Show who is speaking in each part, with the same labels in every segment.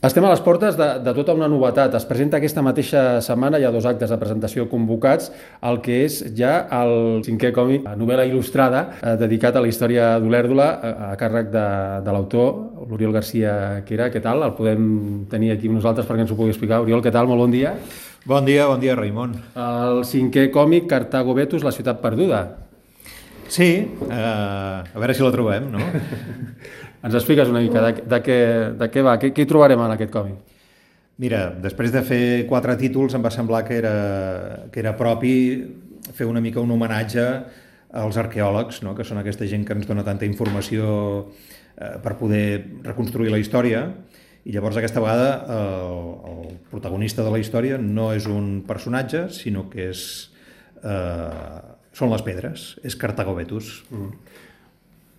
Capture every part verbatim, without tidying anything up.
Speaker 1: Estem a les portes de, de tota una novetat. Es presenta aquesta mateixa setmana, hi ha dos actes de presentació convocats, el que és ja el cinquè còmic, novel·la il·lustrada, eh, dedicat a la història d'Olèrdola, a, a càrrec de, de l'autor, l'Oriol Garcia Quera. Què tal? El podem tenir aquí amb nosaltres perquè ens ho pugui explicar. Oriol, què tal? Molt bon dia.
Speaker 2: Bon dia, bon dia, Raimon.
Speaker 1: El cinquè còmic, Cartago Vetus, la ciutat perduda.
Speaker 2: Sí, eh, a veure si la trobem, no?
Speaker 1: Ens expliques una mica de, de, què, de què va, què, què hi trobarem en aquest còmic?
Speaker 2: Mira, després de fer quatre títols em va semblar que era, que era propi fer una mica un homenatge als arqueòlegs, no? Que són aquesta gent que ens dona tanta informació eh, per poder reconstruir la història, i llavors aquesta vegada el, el protagonista de la història no és un personatge, sinó que és, eh, són les pedres, és Cartago Vetus.
Speaker 1: Mm.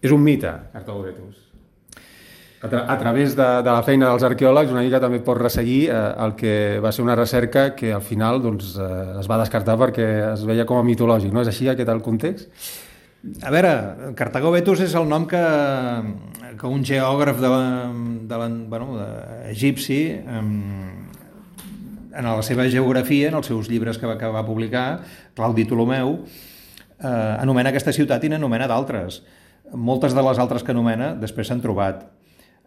Speaker 1: És un mite, Cartago Vetus. A, tra a través de, de la feina dels arqueòlegs una mica també pot resseguir eh, el que va ser una recerca que al final doncs, eh, es va descartar perquè es veia com a mitològic, no? És així aquest el context?
Speaker 2: A veure, Cartago Vetus és el nom que, que un geògraf de la, de la, bueno, de, egipci en la seva geografia, en els seus llibres que va, que va publicar, Claudi Ptolomeu, eh, anomena aquesta ciutat i n'anomena d'altres. Moltes de les altres que anomena després s'han trobat.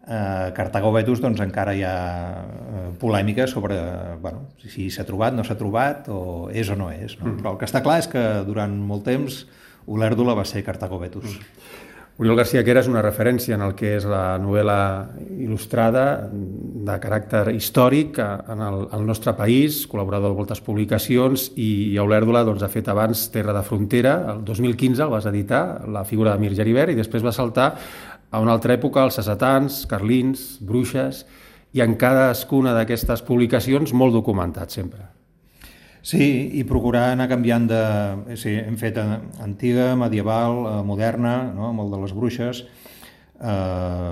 Speaker 2: Uh, Cartago Vetus doncs encara hi ha uh, polèmica sobre bueno, si s'ha trobat, no s'ha trobat o és o no és, no? Mm. Però el que està clar és que durant molt temps Olèrdola va ser Cartago Vetus.
Speaker 1: Mm. Oriol Garcia Quera és una referència en el que és la novel·la il·lustrada de caràcter històric en el, el nostre país, col·laborador de moltes publicacions, i a Olèrdola doncs, ha fet abans Terra de Frontera, el dos mil quinze el vas editar, la figura de Mir Geribert, i després va saltar a una altra època, els sassetans, carlins, bruixes, i en cadascuna d'aquestes publicacions molt documentat sempre.
Speaker 2: Sí, i procurar anar canviant de... Sí, hem fet antiga, medieval, moderna, no? Amb el de les bruixes, eh,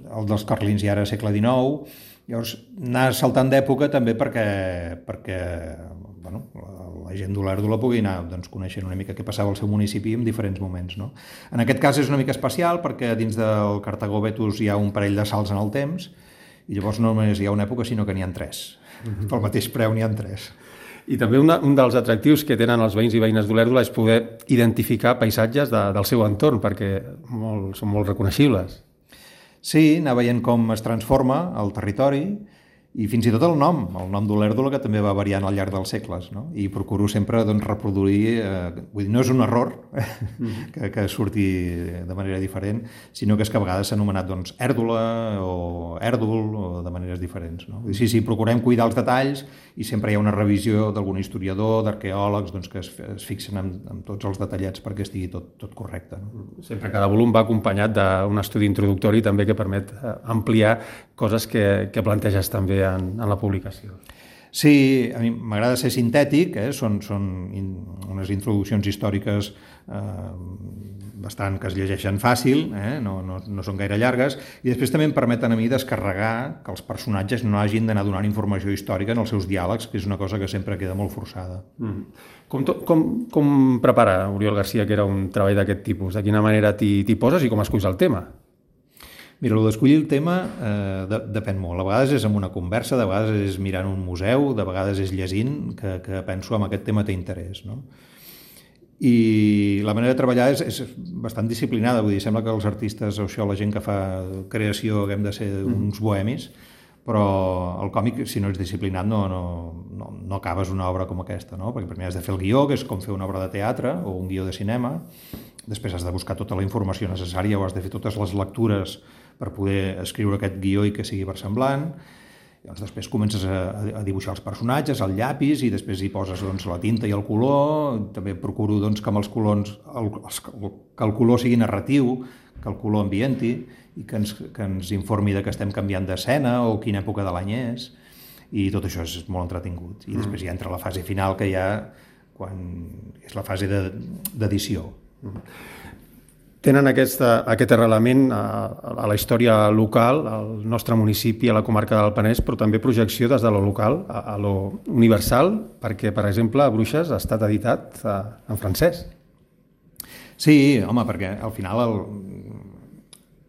Speaker 2: el dels carlins i ara segle dinou, llavors anar saltant d'època també perquè, perquè bueno, la gent d'Olèrdola pugui anar doncs, coneixent una mica què passava al seu municipi en diferents moments. No? En aquest cas és una mica especial perquè dins del Cartago Vetus hi ha un parell de salts en el temps i llavors no només hi ha una època sinó que n'hi ha tres. Mm-hmm. Pel mateix preu n'hi ha tres.
Speaker 1: I també una, un dels atractius que tenen els veïns i veïnes d'Olèrdola és poder identificar paisatges de, del seu entorn perquè molt, són molt reconeixibles.
Speaker 2: Sí, anar veient com es transforma el territori i fins i tot el nom, el nom d'Olèrdola, que també va variant al llarg dels segles, no? I procuro sempre doncs, reproduir, eh, vull dir, no és un error mm-hmm. que, que surti de manera diferent, sinó que és que a vegades s'ha anomenat doncs, Èrdola o Èrdol o de maneres diferents. No? Sí, sí, procurem cuidar els detalls i sempre hi ha una revisió d'algun historiador, d'arqueòlegs, doncs, que es, es fixen en, en tots els detallets perquè estigui tot, tot correcte. No?
Speaker 1: Sempre cada volum va acompanyat d'un estudi introductori també que permet ampliar coses que, que planteges també en, en la publicació.
Speaker 2: Sí, a mi m'agrada ser sintètic, eh? són, són in, unes introduccions històriques eh, bastant que es llegeixen fàcil, eh? no, no, no són gaire llargues, i després també em permeten a mi descarregar que els personatges no hagin d'anar donant informació històrica en els seus diàlegs, que és una cosa que sempre queda molt forçada. Mm.
Speaker 1: Com, to, com, com prepara Oriol Garcia, que era un treball d'aquest tipus? De quina manera t'hi poses i com esculls el tema?
Speaker 2: Mira, el d'escollir el tema eh, de, depèn molt. A vegades és amb una conversa, de vegades és mirant un museu, de vegades és llegint, que, que penso en aquest tema té interès. No? I la manera de treballar és, és bastant disciplinada, vull dir, sembla que els artistes o això, la gent que fa creació, haguem de ser uns bohemis, però el còmic, si no ets disciplinat, no, no, no, no acabes una obra com aquesta, no? Perquè primer has de fer el guió, que és com fer una obra de teatre o un guió de cinema, després has de buscar tota la informació necessària o has de fer totes les lectures per poder escriure aquest guió i que sigui versemblant. Llavors, després comences a, a dibuixar els personatges, el llapis, i després hi poses doncs, la tinta i el color. També procuro doncs, que amb els colors el, els, que el color sigui narratiu, que el color ambienti i que ens, que ens informi de que estem canviant d'escena o quina època de l'any és. I tot això és molt entretingut. I després ja entra la fase final, que ja quan és la fase d'edició.
Speaker 1: Mm. Tenen aquesta, aquest arrelament a, a la història local, al nostre municipi, a la comarca del Penedès, però també projecció des de lo local a, a lo universal, perquè, per exemple, a Bruixes ha estat editat a, en francès.
Speaker 2: Sí, home, perquè al final el,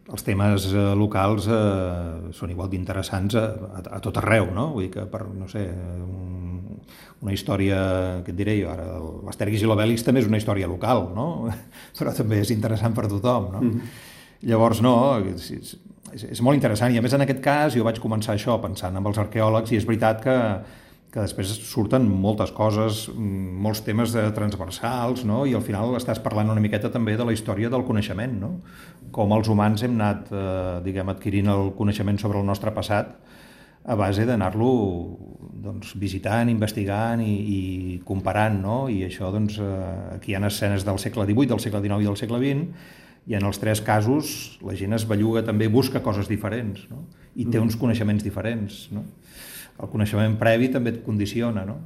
Speaker 2: els temes eh, locals eh, són igual d'interessants a, a, a tot arreu, no? Vull dir que per, no sé, un, una història, què et diré jo ara, l'Astèrix i l'Obèlix també és una història local, no? Però també és interessant per tothom, no? Mm-hmm. Llavors, no, és, és, és molt interessant, i a més en aquest cas jo vaig començar això pensant amb els arqueòlegs, i és veritat que que després surten moltes coses, molts temes transversals, no? I al final estàs parlant una miqueta també de la història del coneixement, no? Com els humans hem anat eh, diguem, adquirint el coneixement sobre el nostre passat a base d'anar-lo doncs, visitant, investigant i, i comparant, no? I això, doncs, eh, aquí hi ha escenes del segle divuit, del segle dinou i del segle vint, i en els tres casos la gent es belluga també, busca coses diferents, no? I té uns coneixements diferents, no? El coneixement previ també et condiciona, no?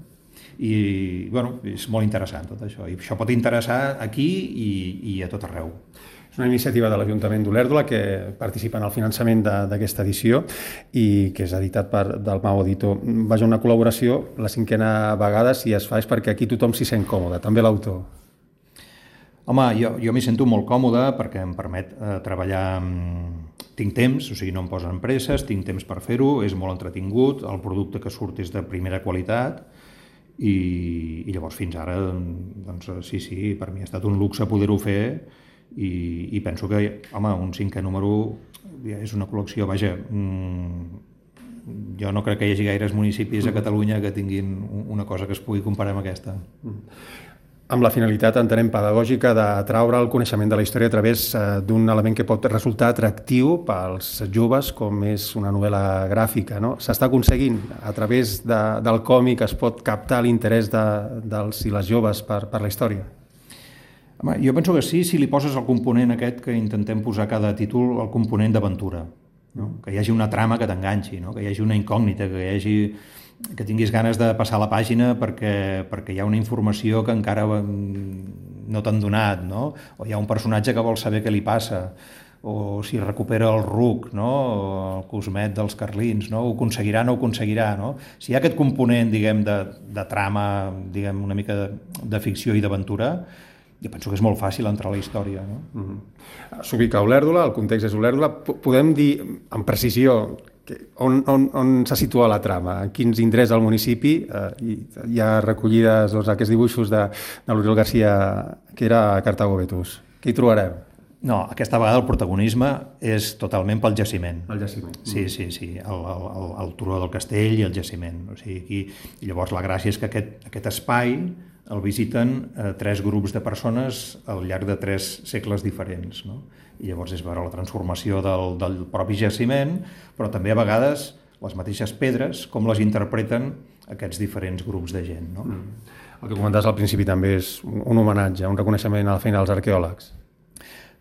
Speaker 2: I, bueno, és molt interessant tot això. I això pot interessar aquí i, i a tot arreu.
Speaker 1: És una iniciativa de l'Ajuntament d'Olèrdola que participa en el finançament d'aquesta edició i que és editat per Dalmau Editor. Vaja, una col·laboració, la cinquena vegada, si es fa és perquè aquí tothom s'hi sent còmode, també l'autor.
Speaker 2: Home, jo, jo m'hi sento molt còmode perquè em permet eh, treballar... Tinc temps, o sigui, no em posen presses, tinc temps per fer-ho, és molt entretingut, el producte que surt és de primera qualitat i, i llavors fins ara, doncs sí, sí, per mi ha estat un luxe poder-ho fer i, i penso que, home, un cinquè número és una col·lecció, vaja, mmm, jo no crec que hi hagi gaires municipis a Catalunya que tinguin una cosa que es pugui comparar amb aquesta.
Speaker 1: Amb la finalitat, entenem, pedagògica d'atraure el coneixement de la història a través d'un element que pot resultar atractiu pels joves, com és una novel·la gràfica, no? S'està aconseguint, a través de, del còmic es pot captar l'interès de, dels i les joves per, per la història?
Speaker 2: Home, jo penso que sí, si li poses el component aquest que intentem posar a cada títol, el component d'aventura, no? Que hi hagi una trama que t'enganxi, no? Que hi hagi una incògnita, que hi hagi... que tinguis ganes de passar la pàgina perquè, perquè hi ha una informació que encara no t'han donat, no? O hi ha un personatge que vol saber què li passa, o si recupera el ruc, no? O el cosmet dels carlins, no? Ho aconseguirà, no ho aconseguirà, no? Si hi ha aquest component, diguem, de, de trama, diguem, una mica de, de ficció i d'aventura, jo penso que és molt fàcil entrar a la història, no?
Speaker 1: Mm-hmm. S'ubica a Olèrdola, el context és Olèrdola. Podem dir amb precisió on, on, on se situa la trama, en quins indrets del municipi? Eh, hi ha recollides doncs, aquests dibuixos de, de l'Oriol Garcia, que era a Cartago Vetus. Què hi trobarem?
Speaker 2: No, aquesta vegada el protagonisme és totalment pel jaciment.
Speaker 1: El jaciment.
Speaker 2: Sí, sí, sí, el, el, el turó del castell i el jaciment. O sigui, aquí, i llavors la gràcia és que aquest, aquest espai el visiten eh, tres grups de persones al llarg de tres segles diferents, no? I llavors és veure la transformació del, del propi jaciment, però també a vegades les mateixes pedres, com les interpreten aquests diferents grups de gent, no?
Speaker 1: Mm. El que comentaves al principi també és un homenatge, un reconeixement a la feina dels arqueòlegs.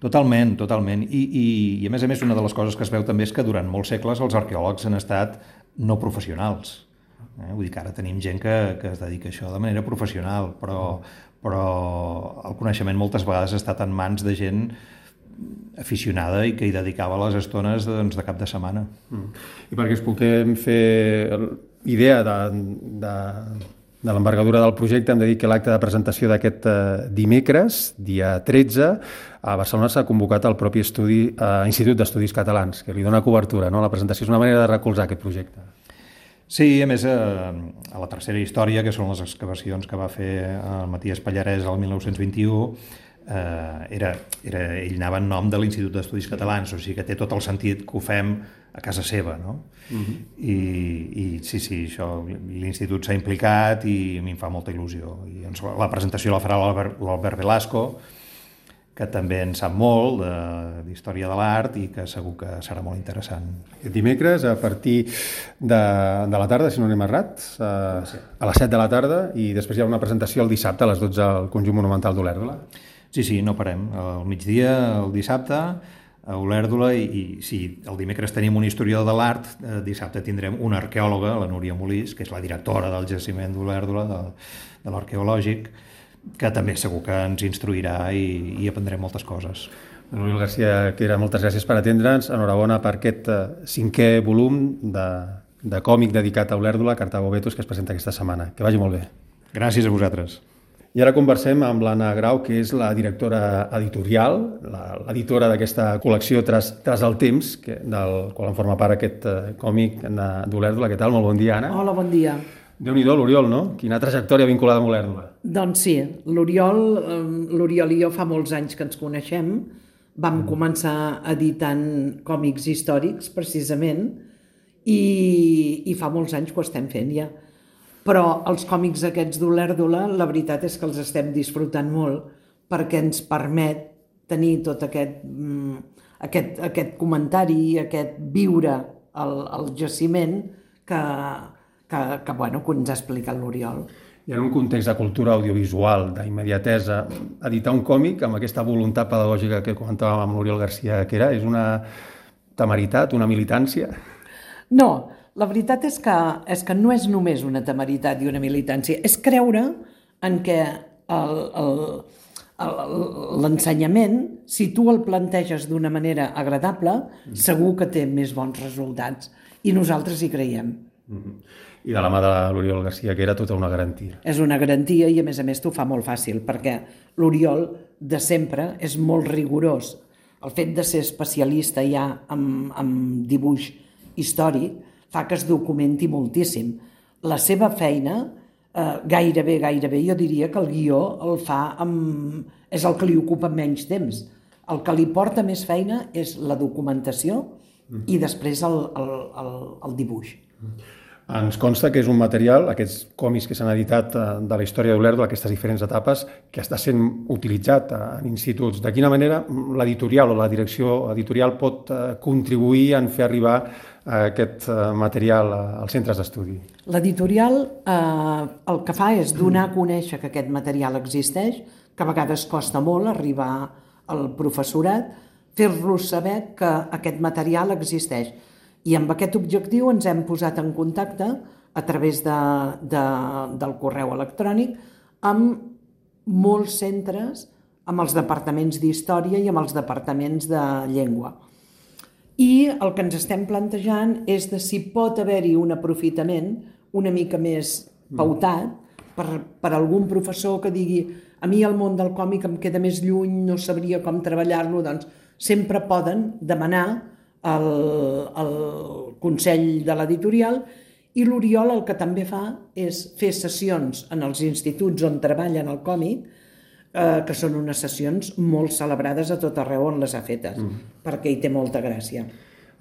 Speaker 2: Totalment, totalment. I, i, i a més a més una de les coses que es veu també és que durant molts segles els arqueòlegs han estat no professionals. Eh? Vull dir que ara tenim gent que, que es dedica a això de manera professional, però, però el coneixement moltes vegades ha estat en mans de gent aficionada i que hi dedicava les estones doncs, de cap de setmana.
Speaker 1: Mm. I perquè es puguem fer idea de, de, de l'envergadura del projecte, hem de dir que l'acte de presentació d'aquest eh, dimecres, dia tretze, a Barcelona s'ha convocat el propi estudi, eh, Institut d'Estudis Catalans, que li dona cobertura, no? La presentació és una manera de recolzar aquest projecte.
Speaker 2: Sí, a més, eh, a la tercera història, que són les excavacions que va fer el Matías Pallarès el mil nou-cents vint-i-u, eh, era, era, ell anava en nom de l'Institut d'Estudis Catalans, o sigui que té tot el sentit que ho fem a casa seva, no? Uh-huh. I, i sí, sí, això, l'institut s'ha implicat i a mi em fa molta il·lusió. I doncs, la presentació la farà l'Albert Velasco, que també en sap molt d'història de l'art i que segur que serà molt interessant.
Speaker 1: Aquest dimecres, a partir de, de la tarda, si no anem errat, a, a les set de la tarda, i després hi ha una presentació el dissabte a les dotze al Conjunt Monumental d'Olèrdola.
Speaker 2: Sí, sí, no parem. Al migdia, el dissabte, a Olèrdola, i, i sí, el dimecres tenim un historiador de l'art, eh, dissabte tindrem una arqueòloga, la Núria Molís, que és la directora del jaciment d'Olèrdola, de, de l'arqueològic, que també segur que ens instruirà i, i aprendrem moltes coses.
Speaker 1: Oriol Garcia, que era, moltes gràcies per atendre'ns. Enhorabona per aquest uh, cinquè volum de, de còmic dedicat a Olèrdola, Cartago Vetus, que es presenta aquesta setmana. Que vagi molt bé.
Speaker 2: Gràcies a vosaltres.
Speaker 1: I ara conversem amb l'Anna Grau, que és la directora editorial, l'editora d'aquesta col·lecció Tras, Tras el temps, que, del qual en forma part aquest eh, còmic d'Olèrdola. Què tal? Molt bon dia, Anna.
Speaker 3: Hola, bon dia.
Speaker 1: Déu-n'hi-do, l'Oriol, no? Quina trajectòria vinculada amb Olèrdola.
Speaker 3: Doncs sí, l'Oriol, l'Oriol i jo fa molts anys que ens coneixem. Vam mm. començar editant còmics històrics, precisament, i, i fa molts anys que ho estem fent ja. Però els còmics aquests d'Olèrdola, la veritat és que els estem disfrutant molt perquè ens permet tenir tot aquest, aquest, aquest comentari, aquest viure al, al jaciment que, que, que, bueno, que ens ha explicat l'Oriol.
Speaker 1: I en un context de cultura audiovisual, d'immediatesa, editar un còmic amb aquesta voluntat pedagògica que comentàvem amb l'Oriol García, que era, és una temeritat, una militància?
Speaker 3: No, la veritat és que, és que no és només una temeritat i una militància, és creure en què l'ensenyament, si tu el planteges d'una manera agradable, segur que té més bons resultats. I nosaltres hi creiem.
Speaker 1: Mm-hmm. I de la mà de l'Oriol García, que era tota una garantia.
Speaker 3: És una garantia i, a més a més, t'ho fa molt fàcil, perquè l'Oriol, de sempre, és molt rigorós. El fet de ser especialista ja en, en dibuix històric fa que es documenti moltíssim. La seva feina, eh, gairebé, gairebé, jo diria que el guió el fa amb... és el que li ocupa menys temps. El que li porta més feina és la documentació i després el, el, el, el dibuix.
Speaker 1: Ens consta que és un material, aquests còmics que s'han editat de la història d'Olèrdola, aquestes diferents etapes, que està sent utilitzat en instituts. De quina manera l'editorial o la direcció editorial pot contribuir en fer arribar aquest material als centres d'estudi?
Speaker 3: L'editorial eh, el que fa és donar a conèixer que aquest material existeix, que a vegades costa molt arribar al professorat, fer-los saber que aquest material existeix. I amb aquest objectiu ens hem posat en contacte a través de, de, del correu electrònic amb molts centres, amb els departaments d'història i amb els departaments de llengua. I el que ens estem plantejant és de si pot haver-hi un aprofitament una mica més pautat per, per algun professor que digui a mi el món del còmic em queda més lluny, no sabria com treballar-lo, doncs sempre poden demanar El, el Consell de l'Editorial, i l'Oriol el que també fa és fer sessions en els instituts on treballen el còmic, eh, que són unes sessions molt celebrades a tot arreu on les ha fetes, mm. perquè hi té molta gràcia.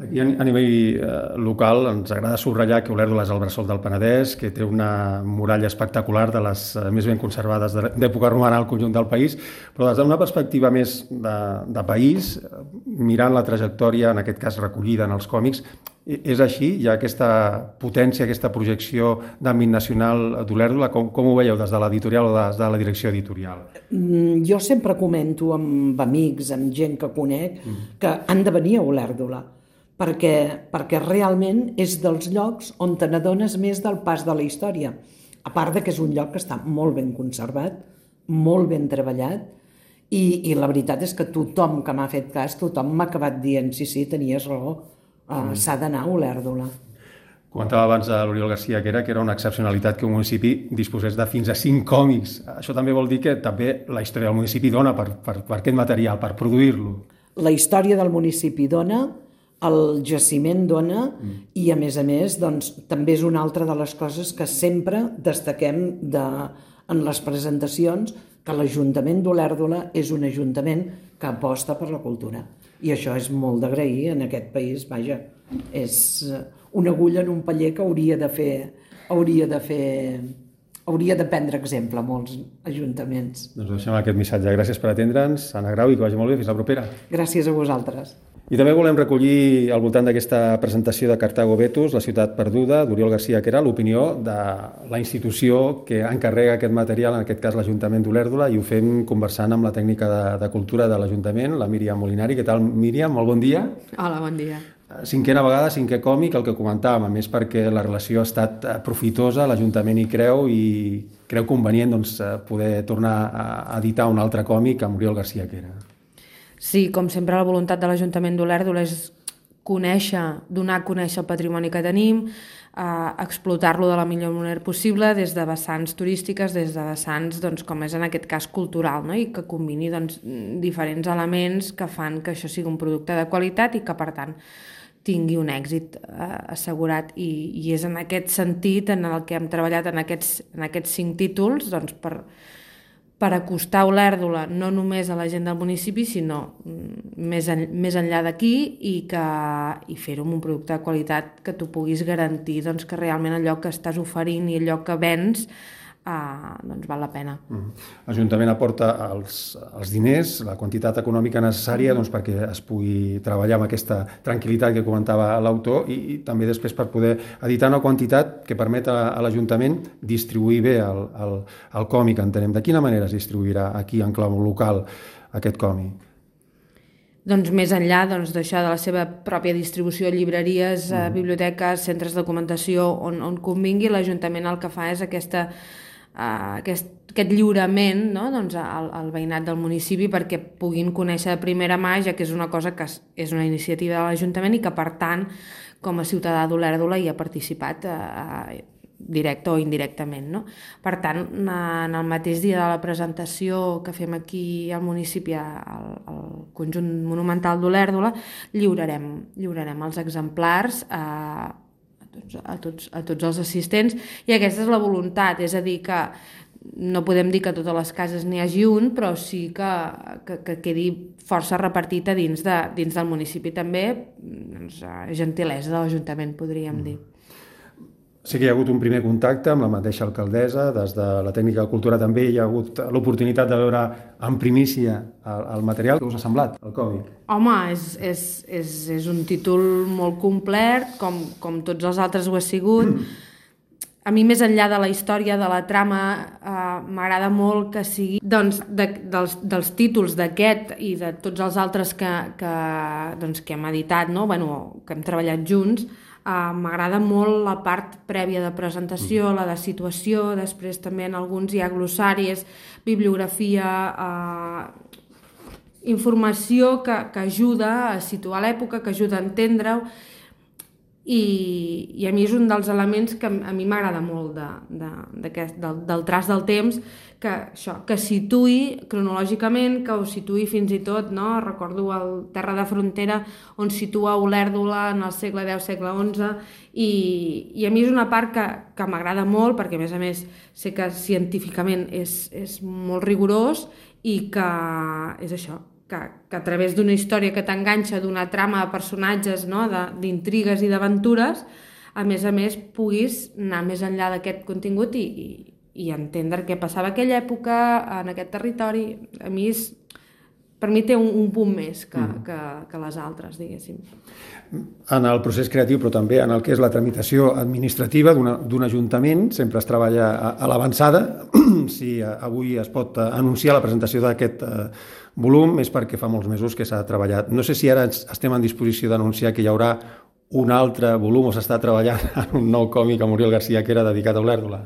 Speaker 1: Aquí a nivell eh, local ens agrada subratllar que Olèrdola és el bressol del Penedès, que té una muralla espectacular de les eh, més ben conservades d'època romana al conjunt del país, però des d'una perspectiva més de, de país, mirant la trajectòria, en aquest cas recollida en els còmics, és així? Hi ha aquesta potència, aquesta projecció d'àmbit nacional d'Olèrdola? Com, com ho veieu des de l'editorial o des de la direcció editorial?
Speaker 3: Mm, jo sempre comento amb amics, amb gent que conec, mm. que han de venir a Olèrdola, perquè, perquè realment és dels llocs on te n'adones més del pas de la història. A part de que és un lloc que està molt ben conservat, molt ben treballat, i, i la veritat és que tothom que m'ha fet cas, tothom m'ha acabat dient sí, sí, tenies raó, uh, s'ha d'anar a Olèrdola.
Speaker 1: Comentava abans a l'Oriol García que era, que era una excepcionalitat que un municipi disposés de fins a cinc còmics. Això també vol dir que també la història del municipi dona per, per, per aquest material, per produir-lo.
Speaker 3: La història del municipi dona, el jaciment dona, mm. i a més a més doncs, també és una altra de les coses que sempre destaquem de, en les presentacions, que l'Ajuntament d'Olèrdola és un ajuntament que aposta per la cultura. I això és molt d'agrair en aquest país, vaja, és una agulla en un paller que hauria de fer, hauria de fer, hauria de prendre exemple a molts ajuntaments.
Speaker 1: Doncs deixem aquest missatge. Gràcies per atendre'ns, Anna Grau, i que vagi molt bé. Fins la propera.
Speaker 3: Gràcies a vosaltres.
Speaker 1: I també volem recollir al voltant d'aquesta presentació de Cartago Vetus, la ciutat perduda, d'Oriol García, que era l'opinió de la institució que encarrega aquest material, en aquest cas l'Ajuntament d'Olèrdola, i ho fem conversant amb la tècnica de, de cultura de l'Ajuntament, la Míriam Molinari. Què tal, Míriam? Molt bon dia.
Speaker 4: Hola, bon dia.
Speaker 1: Cinquena vegada, cinquè còmic, el que comentàvem, a més perquè la relació ha estat profitosa, l'Ajuntament hi creu i creu convenient doncs, poder tornar a editar un altre còmic amb Oriol García, que era.
Speaker 4: Sí, com sempre, la voluntat de l'Ajuntament d'Olèrdola és conèixer, donar a conèixer el patrimoni que tenim, eh, explotar-lo de la millor manera possible des de vessants turístiques, des de vessants, doncs, com és en aquest cas cultural, no? I que combini doncs, diferents elements que fan que això sigui un producte de qualitat i que, per tant, tingui un èxit eh, assegurat. I, I és en aquest sentit en el que hem treballat en aquests, en aquests cinc títols, doncs, per, per acostar Olèrdola no només a la gent del municipi, sinó més, en, més enllà d'aquí, i, que, i fer-ho amb un producte de qualitat que tu puguis garantir doncs, que realment allò que estàs oferint i allò que vens Uh, doncs val la pena.
Speaker 1: Mm. L'Ajuntament aporta els, els diners, la quantitat econòmica necessària doncs, perquè es pugui treballar amb aquesta tranquil·litat que comentava l'autor i, i també després per poder editar una quantitat que permet a, a l'Ajuntament distribuir bé el, el, el còmic, entenem. De quina manera es distribuirà aquí en clau local aquest còmic?
Speaker 4: Doncs més enllà doncs, d'això de la seva pròpia distribució a llibreries, a biblioteques, centres de documentació, on, on convingui, l'Ajuntament el que fa és aquesta Uh, aquest, aquest lliurament, no? Doncs al, al veïnat del municipi perquè puguin conèixer de primera mà, ja que és una cosa que és una iniciativa de l'Ajuntament i que, per tant, com a ciutadà d'Olèrdola hi ha participat uh, directe o indirectament, no? Per tant, en el mateix dia de la presentació que fem aquí al municipi, al, al conjunt monumental d'Olèrdola, lliurarem, lliurarem els exemplars a uh, A tots, a tots els assistents, i aquesta és la voluntat, és a dir, que no podem dir que a totes les cases n'hi hagi un, però sí que, que, que quedi força repartit a dins, de, dins del municipi. També doncs, gentilesa de l'Ajuntament, podríem dir.
Speaker 1: Sí que hi ha hagut un primer contacte amb la mateixa alcaldessa, des de la tècnica de cultura també hi ha hagut l'oportunitat de veure en primícia el, el material. Què us ha semblat, el còmic?
Speaker 4: Home, és, és, és, és un títol molt complet, com, com tots els altres ho ha sigut. A mi, més enllà de la història, de la trama, eh, m'agrada molt que sigui doncs, de, dels, dels títols d'aquest i de tots els altres que, que, doncs, que hem editat, no? Bueno, que hem treballat junts. Uh, m'agrada molt la part prèvia de presentació, la de situació, després també en alguns hi ha glossaris, bibliografia, uh, informació que, que ajuda a situar l'època, que ajuda a entendre-ho, i, i a mi és un dels elements que a mi m'agrada molt de, de, del, del traç del temps, que, això, que situï cronològicament, que ho situï fins i tot, no? Recordo el Terra de Frontera, on situa Olèrdola en el segle deu, segle onze, i, i a mi és una part que, que m'agrada molt, perquè a més a més sé que científicament és, és molt rigorós i que és això, que, que a través d'una història que t'enganxa, d'una trama de personatges, no? D'intrigues i d'aventures, a més a més puguis anar més enllà d'aquest contingut i, i i entendre què passava a aquella època, en aquest territori. A mi és, per mi té un, un punt més que, mm. que, que les altres, diguéssim.
Speaker 1: En el procés creatiu, però també en el que és la tramitació administrativa d'un ajuntament, sempre es treballa a, a l'avançada. Si avui es pot anunciar la presentació d'aquest eh, volum és perquè fa molts mesos que s'ha treballat. No sé si ara estem en disposició d'anunciar que hi haurà un altre volum o s'està treballant en un nou còmic a Muriel García que era dedicat a Olèrdola.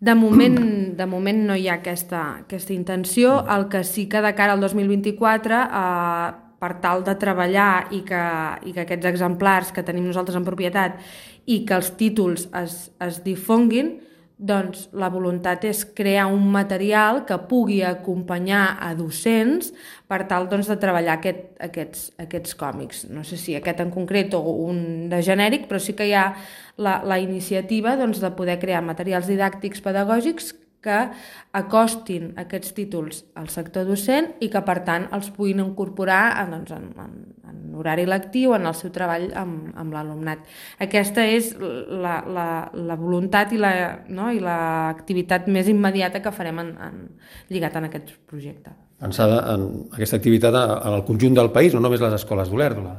Speaker 4: De moment, de moment no hi ha aquesta, aquesta intenció. El que sí que de cara al dos mil vint-i-quatre, eh, per tal de treballar i que, i que aquests exemplars que tenim nosaltres en propietat i que els títols es, es difonguin, doncs la voluntat és crear un material que pugui acompanyar a docents per tal doncs, de treballar aquest, aquests, aquests còmics. No sé si aquest en concret o un de genèric, però sí que hi ha la, la iniciativa doncs, de poder crear materials didàctics pedagògics que acostin aquests títols al sector docent i que, per tant, els puguin incorporar doncs, en, en, en horari lectiu, en el seu treball amb, amb l'alumnat. Aquesta és la, la, la voluntat i la, no, i l'activitat més immediata que farem en, en, lligat en aquest projecte.
Speaker 1: Pensada en aquesta activitat en el conjunt del país, no només les escoles d'Olèrdola.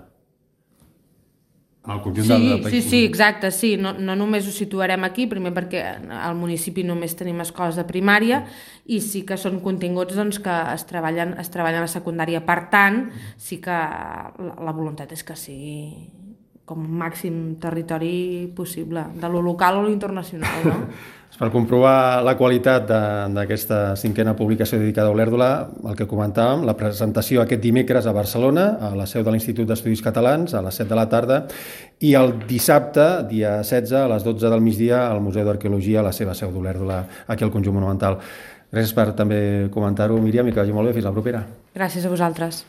Speaker 4: El conjunt sí, del, del país. Sí, sí, exacte, sí. No, no només ho situarem aquí, primer perquè al municipi només tenim escoles de primària i sí que són continguts doncs, que es treballen, es treballen a secundària. Per tant, sí que la, la voluntat és que sigui, com màxim territori possible, de lo local o lo internacional, no?
Speaker 1: Per comprovar la qualitat d'aquesta cinquena publicació dedicada a Olèrdola, el que comentàvem, la presentació aquest dimecres a Barcelona, a la seu de l'Institut d'Estudis Catalans, a les set de la tarda, i el dissabte, dia setze, a les dotze del migdia, al Museu d'Arqueologia, a la seva seu d'Olèrdola, aquí al Conjunt Monumental. Gràcies per també comentar-ho, Míriam, i que vagi molt bé. Fins la propera.
Speaker 4: Gràcies a vosaltres.